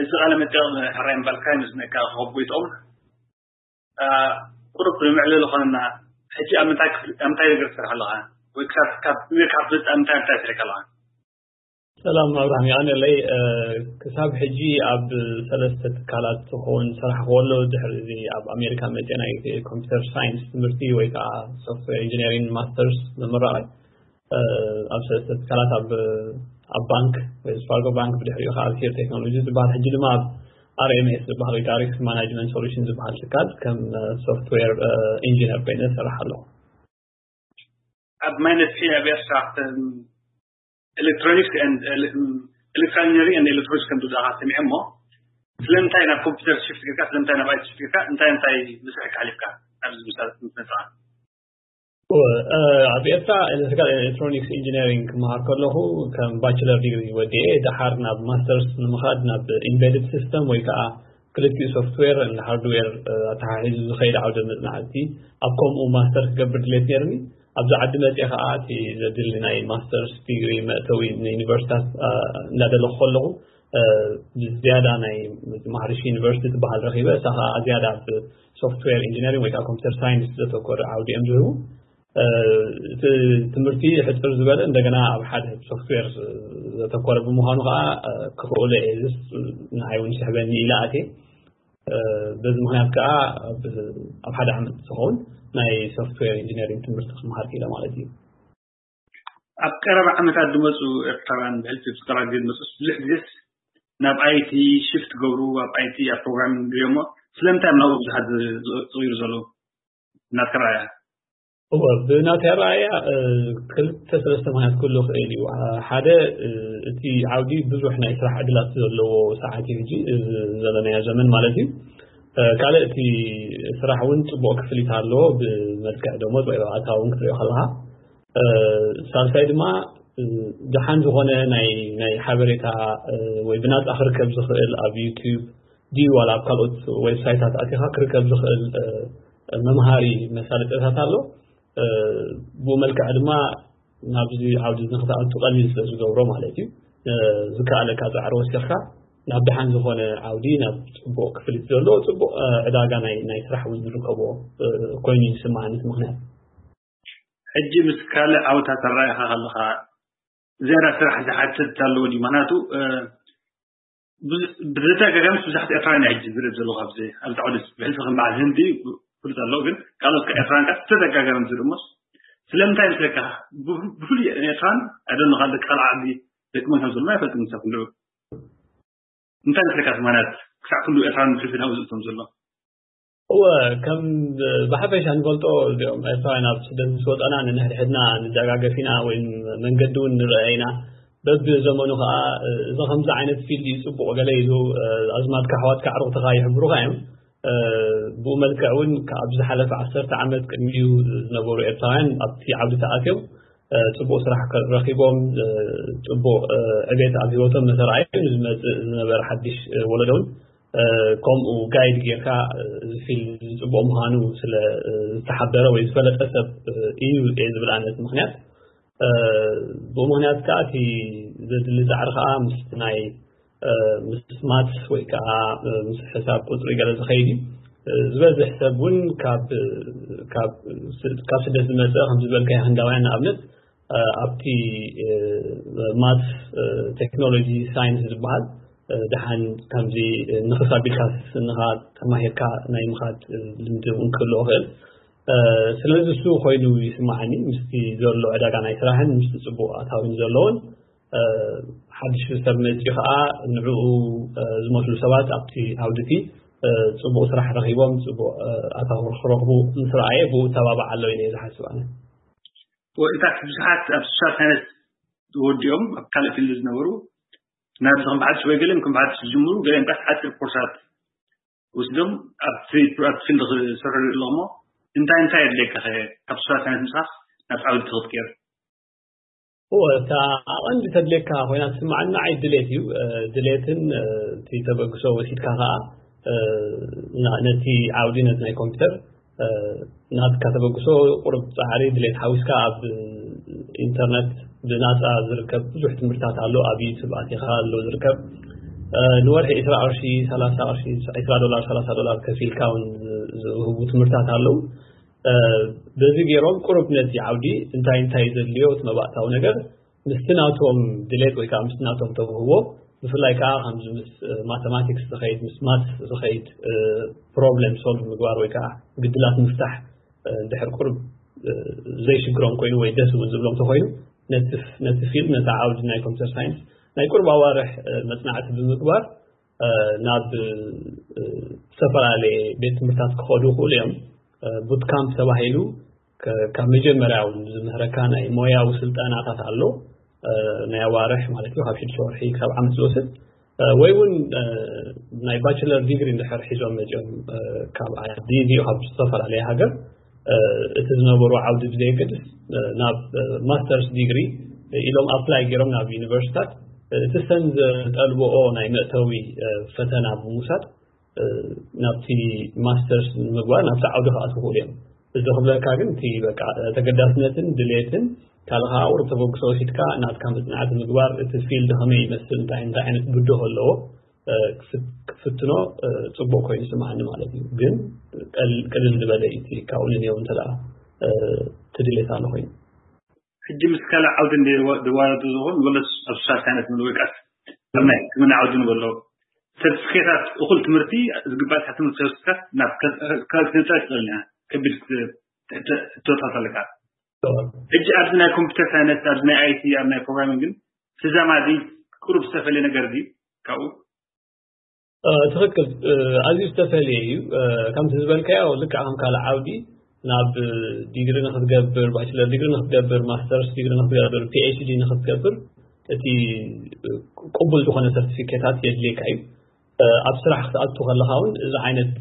እዚ ቃለ መጠይቕ ሕራይ ምባል ክራይ ምስ ነካ ክኸቡ ይጠቕሙ። ቁሩብ ንምዕለል ዝኾነና፣ ሕጂ ኣብ ምንታይ ክፍሊ፣ ኣብ ምንታይ ነገር ትሰርሕ ኣለኻ? ወይ ክሳብ፣ ካብ ጀሚርካ ክትፈልጥ ኣብ ምንታይ፣ ምንታይ ትሰርሕ ኣለኻ? ሰላም ኣብርሃም፣ ይቐንየለይ። ክሳብ ሕጂ ኣብ ሰለስተ ትካላት ዝኸውን ዝሰራሕኩ ከሎ፣ ድሕሪ እዚ ኣብ ኣሜሪካ መፅየ ናይ ኮምፒውተር ሳይንስ ትምህርቲ ወይ ከዓ ሶፍትዌር ኢንጂነሪንግ ማስተርስ ምምራቕ ኣብ ሰለስተ ትካላት፣ ኣብ፣ ኣብ ባንክ፣ ዌልስ ፋርጎ ባንክ፣ ብድሕሪኡ ከዓ ኣብ ቴር ቴክኖሎጂ ዝበሃል፣ ሕጂ ድማ ኣብ ኣር ኤም ኤስ ዝበሃል ወይ ከዓ ሪስክ ማናጅመንት ሶሉሽን ዝበሃል ትካል ከም ሶፍትዌር ኢንጂነር ኮይነ እሰርሕ ኣለኹ። ኣብ ማይ ነፍሒ ኣብ ኤርትራ ኤሌክትሮኒክስ ኤሌክትሮኒክስ ኤሌክትሮኒክስ ኤሌክትሮኒክስ ከም ዝብልካ ሰሚዐ እሞ፣ ስለምንታይ ናብ ኮምፒውተር ሽፍት ጌርካ፣ ስለምንታይ ናብ ኣይቲ ሽፍት ጌርካ፣ እንታይ እንታይ መስርሕ ሓሊፍካ ኣብዚ ምሳሌ ክትመጽኣ? ኣብ ኤርትራ ኤሌክትሪካል ኤሌክትሮኒክስ ኢንጂነሪንግ ክመሃር ከለኹ ከም ባችለር ዲግሪ ወዲኤ፣ ደሓር ናብ ማስተርስ ንምኻድ ናብ ኢምቤድድ ሲስተም ወይ ከዓ ክልቲኡ ሶፍትዌር ሃርድዌር ኣተሓሒዙ ዝኸይድ ዓውደ መፅናዕቲ፣ ኣብ ከምኡ ማስተር ክገብር ድሌት ነይርኒ። ኣብዚ ዓዲ መፅኤ ከዓ እቲ ዘድሊ ናይ ማስተርስ ዲግሪ መእተዊ ንዩኒቨርሲታት እንዳደለኹ ከለኹ፣ ብዝያዳ ናይ ማህርሺ ዩኒቨርሲቲ ትበሃል ረኺበ። እሳ ከዓ ዝያዳ ኣብ ሶፍትዌር ኢንጂነሪንግ ወይ ከዓ ኮምፒውተር ሳይንስ ዘተኮረ ዓውዲ እዮም ዝህቡ። እቲ ትምህርቲ ሕፅር ዝበለ፣ እንደገና ኣብ ሓደ ሶፍትዌር ዘተኮረ ብምዃኑ ከዓ ክኽእሎ እየ። ዝስ ንዓይ እውን ስሕበኒ ኢለ ኣትየ። በዚ ምኽንያት ከዓ ኣብ ሓደ ዓመት ዝኸውን ናይ ሶፍትዌር ኢንጂነሪንግ ትምህርቲ ክመሃር ክኢለ ማለት እዩ። ኣብ ቀረባ ዓመታት ዝመፁ ኤርትራውያን ብሕልፊ ኤርትራ ዝመፁ ብዙሕ ግዜስ ናብ ኣይቲ ሽፍት ገብሩ፣ ኣብ ኣይቲ ኣብ ፕሮግራሚንግ ድሪኦሞ። ስለምንታይ ናብኡ ብዙሓት ዝቕይሩ ዘለዉ ናትካ ረኣያ? እወ፣ ብናተይ ኣረኣእያ ክልተ ሰለስተ ምኽንያት ክህሉ ይኽእል እዩ። ሓደ፣ እቲ ዓውዲ ብዙሕ ናይ ስራሕ ዕድላት ዘለዎ ሰዓት እዩ፣ ሕጂ ዘለናዮ ዘመን ማለት እዩ። ካልእ፣ እቲ ስራሕ እውን ፅቡቕ ክፍሊት ኣለዎ፣ ብመልክዕ ደሞዝ ወይ ኣታዊ እውን ክትሪኦ ከለካ። ሳልሳይ ድማ፣ ደሓን ዝኾነ ናይ ናይ ሓበሬታ ወይ ብናፃ ክርከብ ዝኽእል ኣብ ዩቲዩብ ድዩ ዋላ ኣብ ካልኦት ዌብሳይታት ኣቲኻ ክርከብ ዝኽእል መምሃሪ መሳለጥያታት ኣሎ። ብኡ መልክዕ ድማ ናብዚ ዓውዲ ንክትኣቱ ቀሊል ስለ ዝገብሮ ማለት እዩ። ዝከኣለካ ፃዕሪ ወሲኽካ ናብ ደሓን ዝኾነ ዓውዲ፣ ናብ ፅቡቕ ክፍሊት ዘለዎ፣ ፅቡቕ ዕዳጋ ናይ ናይ ስራሕ እውን ዝርከቦ ኮይኑ ይስማዓኒ እቲ ምኽንያት። ሕጂ ምስ ካልእ ዓውታት ኣረኣእያኻ ከለኻ ዝያዳ ስራሕ ዝሓትት ኣለዎ ድዩ? ምኽንያቱ ብተደጋጋሚ ብዙሓት ኤርትራውያን ሕጂ ዝርኢ ዘለኹ ኣብዚ ኣብዚ ዓውዲ ብሕልፊ ከም በዓል ህንዲ ፍሉጥ ኣለዎ፣ ግን ካልኦት ኤርትራውያን ከዓ ተደጋጋሚ ዝርኢ እሞስ ስለምንታይ ምስለካ ብፍሉይ ኤርትራን ኣደንኻ ደቂ ካልእ ዓዲ ደቂ መን ከም ዘሎ ኣይፈልጥን። ንሳ ኩሉ እንታይ ምስለካ ትማናት ክሳዕ ኩሉ ኤርትራን ብሕልፊ ናብኡ ዝእቶም ዘሎ? እወ፣ ከም ብሓፈሻ ንፈልጦ እዚኦም ኤርትራውያን ኣብ ስደት ምስ ወፀና ንንሕድሕድና ንደጋገፍ ኢና ወይ መንገዲ እውን ንረአ ኢና። በብዘመኑ ከዓ እዚ ከምዚ ዓይነት ፊልድ እዩ ፅቡቕ ገለ ኢሉ ኣዝማድካ ኣሕዋትካ ኣዕሩኽትኻ ይሕብሩኻ እዮም። ብኡ መልክዕ እውን ካብ ዝሓለፈ ዓሰርተ ዓመት ቅድሚኡ ዝነበሩ ኤርትራውያን ኣብቲ ዓውዲ ተኣትዮም ፅቡቕ ስራሕ ረኺቦም ፅቡቕ ዕቤት ኣብ ህይወቶም መሰረኣዮም ዝመፅእ ዝነበረ ሓድሽ ወለዶ እውን ከምኡ ጋይድ ጌርካ እዚ ፊልድ ዝፅቡቕ ምዃኑ ስለ ዝተሓበረ ወይ ዝፈለጠ ሰብ እዩ እየ ዝብል ኣነት ምኽንያት። ብኡ ምኽንያት ከዓ እቲ ዘድሊ ፃዕሪ ከዓ ምስ ናይ ምስ ማትስ ወይ ከዓ ምስ ሕሳብ ቁፅሪ ገለ ዝኸይድ እዩ። ዝበዝሕ ሰብ እውን ካብ ካብ ካብ ስደት ዝመፀ ከም ዝበልካዮ ህንዳውያን ንኣብነት ኣብቲ ማትስ ቴክኖሎጂ ሳይንስ ዝበሃል ደሓን ከምዚ ንኽስ ኣቢልካ ስንኻ ተማሂርካ ናይ ምኻድ ልምዲ እውን ክህልዎ ይኽእል። ስለዚ እሱ ኮይኑ ይስማዓኒ ምስቲ ዘሎ ዕዳጋ ናይ ስራሕን ምስቲ ፅቡቕ ኣታዊን ዘለዎን ሓድሽ ሰብ መፂኡ ከዓ ንዕኡ ዝመስሉ ሰባት ኣብቲ ዓውድቲ ፅቡቕ ስራሕ ረኪቦም ፅቡቕ ኣታዊ ክረኽቡ ምስ ረኣየ ብኡ ተባባዕ ኣሎ ኢለ ዝሓስብ ኣነ። እታ ብዙሓት ኣብ ሶሻል ሳይንስ ወዲኦም ኣብ ካልእ ፊልድ ዝነበሩ ናብዚ ከም በዓል ወይ ገሊኦም ከም በዓል ዝጅምሩ ገሊኦም ዳስ ሓፂር ኮርሳት ወስዶም ኣብቲ ኣብቲ ፊልድ ክሰርሑ ኣለኹሞ እንታይ እንታይ የድልየካ ካብ ሶሻል ሳይንስ ምሳኽ ናብ ዓውዲ ትኽትቅየር? እወ፣ እታ ኣቐንዲ ተድልየካ ኮይና ትስምዓኒ ንዓይ ድሌት እዩ። ድሌትን እቲ ተበግሶ ወሲድካ ከኣ ነቲ ዓውዲ ነቲ ናይ ኮምፒውተር ናትካ ተበግሶ ቁሩብ ጻዕሪ ድሌት ሓዊስካ ኣብ ኢንተርነት ብናጻ ዝርከብ ብዙሕ ትምህርታት ኣሎ። ኣብ ዩቱብ ኣቲኻ ኣሎ ዝርከብ። ንወርሒ ዕስራ ቅርሺ፣ ሰላሳ ቅርሺ፣ ዕስራ ዶላር፣ ሰላሳ ዶላር ከፊልካ እውን ዝህቡ ትምህርታት ኣለዉ። በዚ ገይሮም ቁሩብ ነቲ ዓውዲ እንታይ እንታይ ዘድልዮ እቲ መባእታዊ ነገር ምስቲ ናቶም ድሌት ወይ ከዓ ምስቲ ናቶም ተውህቦ፣ ብፍላይ ከዓ ከምዚ ምስ ማተማቲክስ ዝኸይድ፣ ምስ ማት ዝኸይድ ፕሮብለም ሶልቭ ምግባር ወይ ከዓ ግድላት ምፍታሕ እንድሕር ቁሩብ ዘይሽግሮም ኮይኑ ወይ ደስ እውን ዝብሎም ተኮይኑ፣ ነቲ ፊልድ፣ ነቲ ዓውዲ ናይ ኮምፒተር ሳይንስ ናይ ቁሩብ ኣዋርሕ መፅናዕቲ ብምግባር ናብ ዝተፈላለየ ቤት ትምህርታት ክኸዱ ይኽእሉ እዮም። ቡት ካምፕ ተባሂሉ ካብ መጀመርያ እውን ዝምህረካ ናይ ሞያዊ ስልጠናታት ኣሎ። ናይ ኣዋርሕ ማለት እዩ፣ ካብ ሽዱሽተ ወርሒ ክሳብ ዓመት ዝወስድ። ወይ እውን ናይ ባችለር ዲግሪ እንድሕር ሒዞም መፅኦም ካብ ዓዲ ድዩ ካብ ዝተፈላለየ ሃገር፣ እቲ ዝነበሩ ዓውዲ ብዘየገድስ ናብ ማስተርስ ዲግሪ ኢሎም ኣፕላይ ገይሮም ናብ ዩኒቨርሲታት፣ እቲ ሰን ዘጠልብኦ ናይ መእተዊ ፈተና ብምውሳድ ናብቲ ማስተርስ ንምግባር ናብቲ ዓውዲ ክኣትዉ ይኽእሉ እዮም። እዚ ክብለካ ግን እቲ በቃ ተገዳስነትን ድሌትን ካልእ ከዓ ቁሩብ ተበግሶ ወሲድካ ናትካ መፅናዕቲ ምግባር፣ እቲ ፊልድ ከመይ ይመስል፣ እንታይ እንታይ ዓይነት ብድሆ ኣለዎ ክትፍትኖ ፅቡቅ ኮይኑ ይስምዓኒ ማለት እዩ። ግን ቅልል ዝበለ እዩ እቲ ካብኡ ንንየው እንተ እቲ ድሌት ኣሎ ኮይኑ። ሕጂ ምስ ካልእ ዓውዲ ድዋረዱ ዝኸውን ወለስ ኣብ ሶሻል ሳይንስ ንብል ወይ ከዓስ ኣብ ናይ ሕክምና ዓውዲ ንበሎ ሰርቲፊኬታት እኹል ትምህርቲ ዝግባእ ትምህርቲ ወስድካ ናብ ካልእ ትንፃ ትኽእል ኢና ከቢድ ሕቶታት ኣለካ። ሕጂ ኣብዚ ናይ ኮምፒተር ሳይንስ፣ ኣብዚ ናይ ኣይቲ፣ ኣብ ናይ ፕሮግራሚንግ ግን ተዛማዲ ቁሩብ ዝተፈለየ ነገር ድዩ ካብኡ? ትኽክል፣ ኣዝዩ ዝተፈለየ እዩ። ከምቲ ዝበልካዮ ልክዕ ከም ካልእ ዓውዲ ናብ ዲግሪ ንክትገብር፣ ባችለር ዲግሪ ንክትገብር፣ ማስተርስ ዲግሪ ንክትገብር፣ ፒኤችዲ ንክትገብር እቲ ቅቡል ዝኾነ ሰርቲፊኬታት የድልየካ እዩ። ኣብ ስራሕ ክትኣቱ ከለኻ እውን እዚ ዓይነት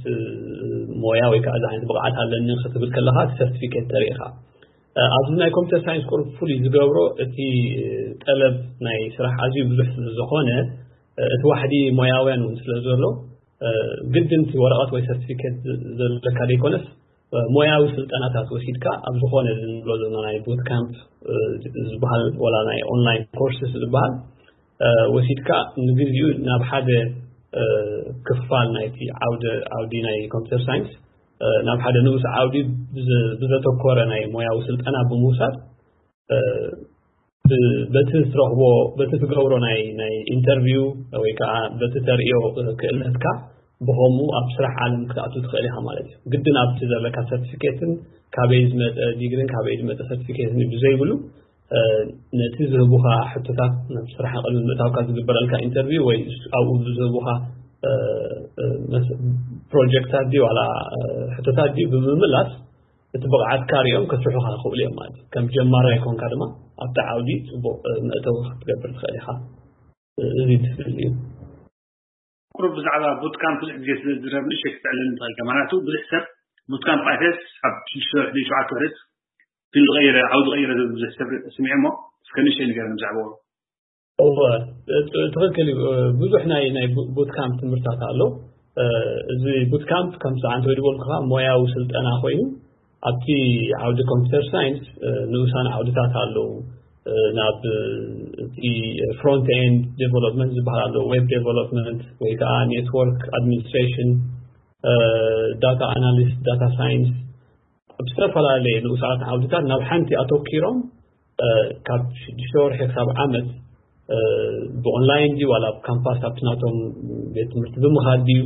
ሞያ ወይ ከዓ እዚ ዓይነት ብቕዓት ኣለኒ ክትብል ከለኻ እቲ ሰርቲፊኬት ተሪኢኻ። ኣብዚ ናይ ኮምፒተር ሳይንስ ቁሩብ ፍሉይ ዝገብሮ እቲ ጠለብ ናይ ስራሕ ኣዝዩ ብዙሕ ስለ ዝኾነ እቲ ዋሕዲ ሞያውያን እውን ስለ ዘሎ ግድን እቲ ወረቐት ወይ ሰርቲፊኬት ዘለካ ዘይኮነስ ሞያዊ ስልጠናታት ወሲድካ ኣብ ዝኾነ ዝንብሎ ዘለና ናይ ቡት ካምፕ ዝበሃል ወላ ናይ ኦንላይን ኮርስስ ዝበሃል ወሲድካ ንግዚኡ ናብ ሓደ ክፋል ናይቲ ዓውዲ ናይ ኮምፒተር ሳይንስ ናብ ሓደ ንኡስ ዓውዲ ብዘተኮረ ናይ ሞያዊ ስልጠና ብምውሳድ በቲ ትረኽቦ በቲ ትገብሮ ናይ ናይ ኢንተርቪው ወይ ከዓ በቲ ተርእዮ ክእለትካ ብኸምኡ ኣብ ስራሕ ዓለም ክትኣቱ ትኽእል ኢኻ ማለት እዩ። ግድን ኣብቲ ዘለካ ሰርቲፊኬትን ካበይ ዝመፀ ዲግሪን ካበይ ዝመፀ ሰርቲፊኬትን ብዘይብሉ ነቲ ዝህቡኻ ሕቶታት ናብ ስራሕ ቅድሚ ምእታውካ ዝግበረልካ ኢንተርቪው ወይ ኣብኡ ብዝህቡኻ ፕሮጀክታት ድዩ ዋላ ሕቶታት ድዩ ብምምላስ እቲ ብቕዓትካ ሪኦም ከስርሑኻ ይኽእሉ እዮም ማለት እዩ። ከም ጀማራይ ኮንካ ድማ ኣብቲ ዓውዲ ፅቡቕ መእተዊ ክትገብር ትኽእል ኢኻ። እዚ ትፍል እዩ። ቁሩብ ብዛዕባ ቡት ካምፕ ብዙሕ ግዜ ስለ ዝረብ ንእሽተይ ክትዕልል ንትኽእል ኢኻ። ምክንያቱ ብዙሕ ሰብ ቡት ካምፕ ኣትየስ ኣብ ሽዱሽተ ወርሒ ሸውዓተ ወርሒ ፊልድ ቀይረ ዓውዲ ቀይረ ዝብል ብዙሕ ሰብ ስሚዐ እሞ እስከ ንእሽተይ ንገረኒ ብዛዕባኡ። እወ ትኽክል እዩ። ብዙሕ ናይ ናይ ቡት ካምፕ ትምህርታት ኣሎ። እዚ ቡት ካምፕ ከም ሰዓንተ ወይ ድበልኩኻ ሞያዊ ስልጠና ኮይኑ ኣብቲ ዓውዲ ኮምፒተር ሳይንስ ንኡሳን ዓውድታት ኣለዉ። ናብ እቲ ፍሮንት ኤንድ ዴቨሎፕመንት ዝበሃል ኣሎ፣ ዌብ ዴቨሎፕመንት ወይ ከዓ ኔትወርክ ኣድሚኒስትሬሽን፣ ዳታ ኣናሊስት፣ ዳታ ሳይንስ፣ ኣብ ዝተፈላለየ ንኡሳት ዓውድታት ናብ ሓንቲ ኣተኪሮም ካብ ሽዱሽተ ወርሒ ክሳብ ዓመት ብኦንላይን ድዩ ዋላ ኣብ ካምፓስ ኣብቲ ናቶም ቤት ትምህርቲ ብምኻድ ድዩ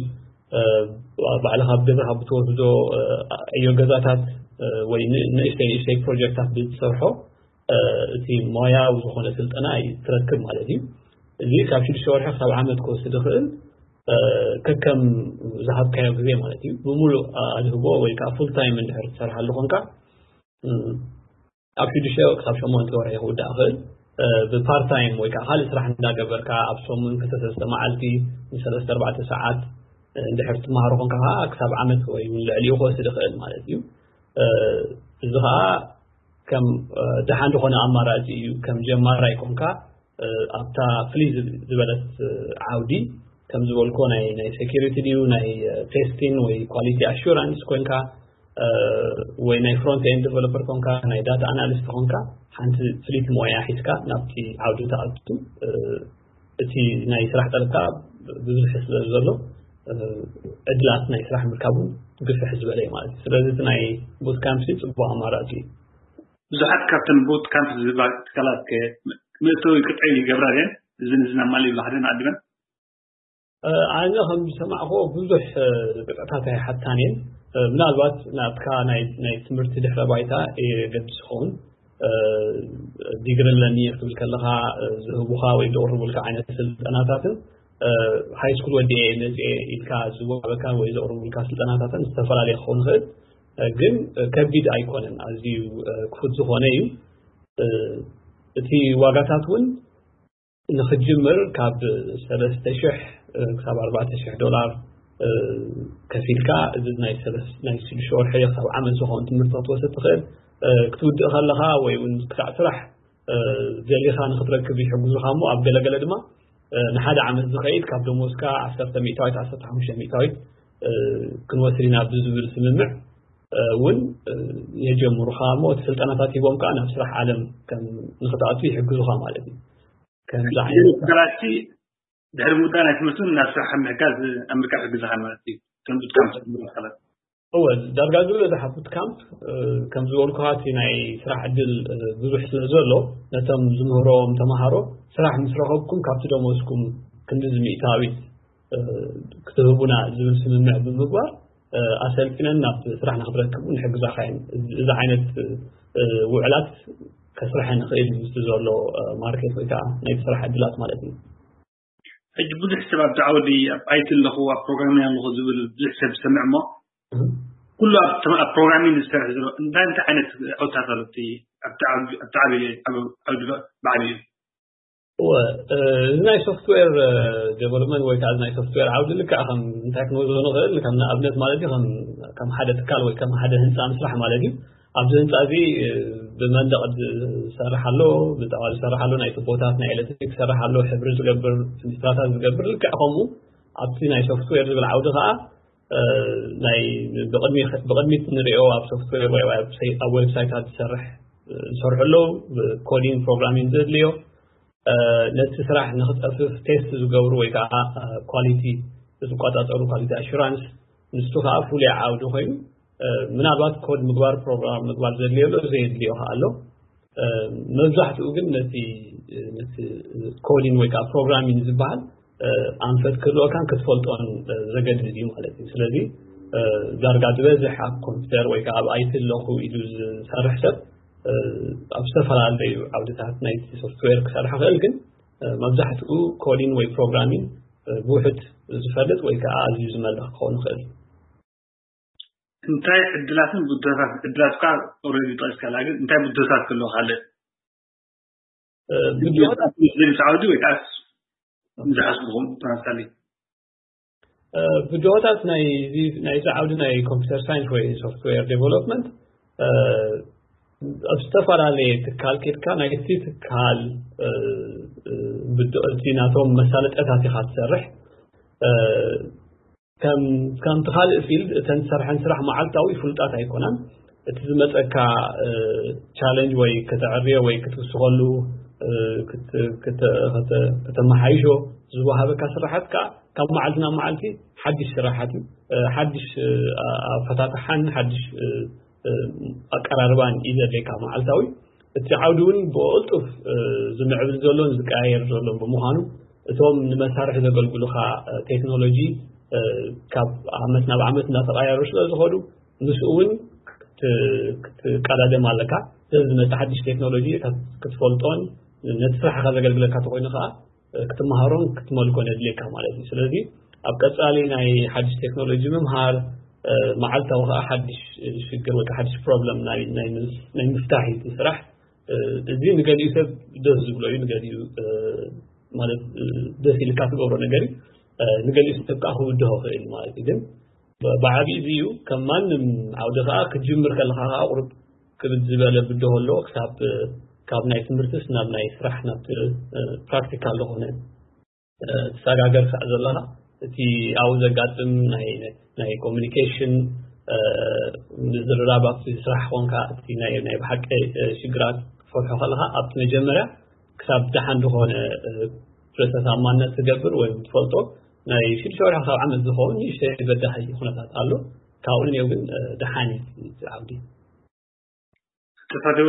ባዕልኻ ኣብ ገዛኻ ብትወስዶ ዕዮ ገዛታት ወይ ንእሽተይ ንእሽተይ ፕሮጀክታት ብትሰርሖ እቲ ሞያዊ ዝኾነ ስልጠና ትረክብ ማለት እዩ። እዚ ካብ ሽዱሽተ ወርሒ ክሳብ ዓመት ክወስድ ይኽእል ከከም ዝሃብካዮ ግዜ ማለት እዩ። ብሙሉእ ኣድህቦ ወይ ከዓ ፉል ታይም እንድሕር ትሰርሓሉ ኮንካ ኣብ ሽዱሽተ ክሳብ ሸሞንተ ወርሒ ክውዳእ ይኽእል። ብፓርት ታይም ወይ ከዓ ካልእ ስራሕ እንዳገበርካ ኣብ ሰሙን ክልተ ሰለስተ መዓልቲ ንሰለስተ ኣርባዕተ ሰዓት እንድሕር ትመሃሮ ኮንካ ከዓ ክሳብ ዓመት ወይ እውን ልዕሊኡ ክወስድ ይኽእል ማለት እዩ። እዚ ከዓ ከም ደሓን ዝኾነ ኣማራፂ እዩ። ከም ጀማራይ ኮንካ ኣብታ ፍልይ ዝበለት ዓውዲ ከም ዝበልኮ ናይ ናይ ሴኪሪቲ ድዩ ናይ ቴስቲን ወይ ኳሊቲ ኣሹራንስ ኮንካ ወይ ናይ ፍሮንት ኤንድ ዴቨሎፐር ኮንካ ናይ ዳታ ኣናሊስት ኮንካ ሓንቲ ፍልይቲ ሞያ ሒዝካ ናብቲ ዓውዲ ተኣቱ እቲ ናይ ስራሕ ጠለብካ ብዙሕ ስለ ዘሎ ዕድላት ናይ ስራሕ ምርካቡ ግፍሕ ዝበለ እዩ ማለት እዩ። ስለዚ እቲ ናይ ቡት ካምፕ ጽቡቅ ኣማራጺ እዩ። ብዙሓት ካብተን ቡት ካምፕ ዝበሃል ትካላት ምእተዊ ቅጥዒ ይገብራ እየን። እዝን እዝን ኣማሊ ይብላ ሓደ ንዓድመን ኣነ ከም ዝሰማዕኮ ብዙሕ ቅጥዕታት ኣይሓታን እየን። ምናልባት ናትካ ናይ ትምህርቲ ድሕረ ባይታ የገድስ ይኸውን። ዲግሪ ኣለኒ ክትብል ከለኻ ዝህቡኻ ወይ ዘቕርቡልካ ዓይነት ስልጠናታትን ሃይ ስኩል ወዲኤ መፅኤ ኢልካ ዝወሃበካ ወይ ዘቕርቡልካ ስልጠናታትን ዝተፈላለየ ክኸውን ይኽእል። ግን ከቢድ ኣይኮነን፣ ኣዝዩ ክፉት ዝኾነ እዩ። እቲ ዋጋታት እውን ንኽጅምር ካብ ሰለስተ ሽሕ ክሳብ ኣርባዕተ ሽሕ ዶላር ከፊልካ፣ እዚ ናይ ናይ ሽዱሽተ ወርሒ ክሳብ ዓመት ዝኸውን ትምህርቲ ክትወስድ ትኽእል። ክትውድእ ከለኻ ወይ እውን ክሳዕ ስራሕ ደሊኻ ንኽትረክብ ይሕግዙኻ እሞ፣ ኣብ ገለገለ ድማ ንሓደ ዓመት ዝኸይድ ካብ ደሞዝካ ዓሰርተ ሚእታዊት ዓሰርተ ሓሙሽተ ሚእታዊት ክንወስድ ኢና ብዝብል ስምምዕ እውን የጀምሩኻ እሞ፣ እቲ ስልጠናታት ሂቦም ከዓ ናብ ስራሕ ዓለም ከም ንኽትኣቱ ይሕግዙኻ ማለት እዩ። ከምዚ ዓይነት ስራሕቲ ድሕሪ ምውዳእ ናይ ትምህርትን ናብ ስራሕ ምሕጋዝ ኣምሪካ ይሕግዝኻ ማለት እዩ። ከም ቡት ካምፕ ዝብሉ ኣካላት። እወ፣ ዳርጋ ዝበዝሕ ቡት ካምፕ ከም ዝበልኩኻ እቲ ናይ ስራሕ ዕድል ብዙሕ ስለ ዘሎ፣ ነቶም ዝምህሮም ተምሃሮ ስራሕ ምስ ረኸብኩም ካብቲ ደሞዝኩም ክንዲ ዝሚእታዊት ክትህቡና ዝብል ስምምዕ ብምግባር ኣሰልጢነን ናብ ስራሕ ንክትረክቡ ንሕግዛኻ እየን። እዚ ዓይነት ውዕላት ከስርሐ ንኽእል እዩ ምስቲ ዘሎ ማርኬት ወይ ከዓ ናይ ስራሕ ዕድላት ማለት እዩ። ሕጂ ብዙሕ ሰብ ኣብቲ ዓውዲ ኣብ ኣይቲ ኣለኹ ኣብ ፕሮግራሚንግ ኣለኹ ዝብል ብዙሕ ሰብ ዝሰምዕ እሞ ኩሉ ኣብ ፕሮግራሚንግ ዝሰርሕ ዘሎ እንታይ እንታይ ዓይነት ዓውድታት ኣሎ ኣብቲ ዓውዲ ብዓብዩ? እወ፣ እዚ ናይ ሶፍትዌር ዴቨሎፕመንት ወይ ከዓ ናይ ሶፍትዌር ዓውዲ ልክዕ ከም እንታይ ክንወስዶ ንኽእል ከም ንኣብነት ማለት እዩ ከም ሓደ ትካል ወይ ከም ሓደ ህንፃ ምስራሕ ማለት እዩ። ኣብዚ ህንፃ እዚ ብመንደቕ ዝሰርሕ ኣሎ፣ ብጣዋ ዝሰርሕ ኣሎ፣ ናይ ቱቦታት ናይ ኤሌክትሪክ ዝሰርሕ ኣሎ፣ ሕብሪ ዝገብር፣ ፍንጅትራታት ዝገብር። ልክዕ ከምኡ ኣብቲ ናይ ሶፍትዌር ዝብል ዓውዲ ከዓ ናይ ብቕድሚት ንሪኦ ኣብ ሶፍትዌር ወይ ኣብ ዌብሳይታት ዝሰርሕ ዝሰርሑ ኣለዉ። ኮዲንግ ፕሮግራሚንግ ዘድልዮ ነቲ ስራሕ ንክፀፍፍ ቴስት ዝገብሩ ወይ ከዓ ኳሊቲ ዝቆፃፀሩ ኳሊቲ ኣሹራንስ፣ ንሱ ከዓ ፍሉይ ዓውዲ ኮይኑ ምናልባት ኮድ ምግባር ፕሮግራም ምግባር ዘድልየሉ ዘየድልዮ ከዓ ኣሎ። መብዛሕትኡ ግን ነቲ ነቲ ኮዲን ወይ ከዓ ፕሮግራሚንግ ዝበሃል ኣንፈት ክህልወካን ክትፈልጦን ዘገድድ እዩ ማለት እዩ። ስለዚ ዳርጋ ዝበዝሕ ኣብ ኮምፒውተር ወይ ከዓ ኣብ ኣይቲ ኣለኹ ኢሉ ዝሰርሕ ሰብ ኣብ ዝተፈላለዩ ዓውድታት ናይቲ ሶፍትዌር ክሰርሕ ይኽእል። ግን መብዛሕትኡ ኮዲን ወይ ፕሮግራሚንግ ብውሑድ ዝፈልጥ ወይ ከዓ ኣዝዩ ዝመልኽ ክኸውን ይኽእል። እንታይ ዕድላትን ብድሆታት ዕድላት ካ ኦልሬዲ ጠቂስካላ ግን እንታይ ብድሆታት ክህልዎ ካልእ ብድሆታት ዝብል ዓውዲ ወይ ከዓ ዝሓስብኹም ተመሳሳሊ ብድሆታት ናይ ናይዚ ዓውዲ ናይ ኮምፒውተር ሳይንስ ወይ ሶፍትዌር ዴቨሎፕመንት ኣብ ዝተፈላለየ ትካል ኬድካ ናይቲ ትካል ብድሆቲ ናቶም መሳለጠታት ኢኻ ትሰርሕ። ከም ከምቲ ካልእ ፊልድ እተን ትሰርሐን ስራሕ መዓልታዊ ፍሉጣት ኣይኮናን። እቲ ዝመፀካ ቻለንጅ ወይ ከተዕርዮ ወይ ክትውስኸሉ ከተመሓይሾ ዝወሃበካ ስራሓት ከዓ ካብ መዓልቲ ናብ መዓልቲ ሓድሽ ስራሓት እዩ። ሓድሽ ኣፈታትሓን ሓድሽ ኣቀራርባን እዩ ዘድልየካ መዓልታዊ። እቲ ዓውዲ እውን ብቕልጡፍ ዝምዕብል ዘሎን ዝቀያየር ዘሎን ብምዃኑ እቶም ንመሳርሒ ዘገልግሉኻ ቴክኖሎጂ ካብ ዓመት ናብ ዓመት እናተቐያየሩ ስለ ዝኸዱ ምስኡ እውን ክትቀዳደም ኣለካ። ስለዚ ዝመፅእ ሓድሽ ቴክኖሎጂ ክትፈልጦን ነቲ ስራሕኻ ዘገልግለካ ተኮይኑ ከዓ ክትመሃሮን ክትመልኮን የድልየካ ማለት እዩ። ስለዚ ኣብ ቀፃሊ ናይ ሓድሽ ቴክኖሎጂ ምምሃር መዓልታዊ ከዓ ሓድሽ ሽግር ወይ ሓድሽ ፕሮብለም ናይ ምፍታሕ እዩ ስራሕ። እዚ ንገሊኡ ሰብ ደስ ዝብሎ እዩ፣ ንገሊኡ ማለት ደስ ኢልካ ትገብሮ ነገር እዩ፣ ንገሊኡ ሰብ ከዓ ክብድሆ ክእል ማለት እዩ። ግን ብዓብዩ እዚ እዩ። ከም ማንም ዓውዲ ከዓ ክትጅምር ከለካ ከዓ ቁርብ ክብድ ዝበለ ብድሆ ኣለዎ። ክሳብ ካብ ናይ ትምህርትስ ናብ ናይ ስራሕ ናብ ፕራክቲካል ዝኾነ ትሰጋገር ክሳዕ ዘለኻ እቲ ኣብኡ ዘጋጥም ናይ ኮሚኒኬሽን ምዝርራብ ኣብቲ ስራሕ ኮንካ እቲ ናይ ብሓቂ ሽግራት ክትፈትሖ ከለካ ኣብቲ መጀመርያ ክሳብ ደሓን ዝኾነ ርእሰ ታማነት ትገብር ወይ ትፈልጦ ናይ ሽዱሽተ ወርሒ ካብ ዓመት ዝኸውን ንእሽተይ በዳሂ ኩነታት ኣሎ። ካብኡ ንኔው ግን ደሓን እዩ ዓብዲ። ተሳተወ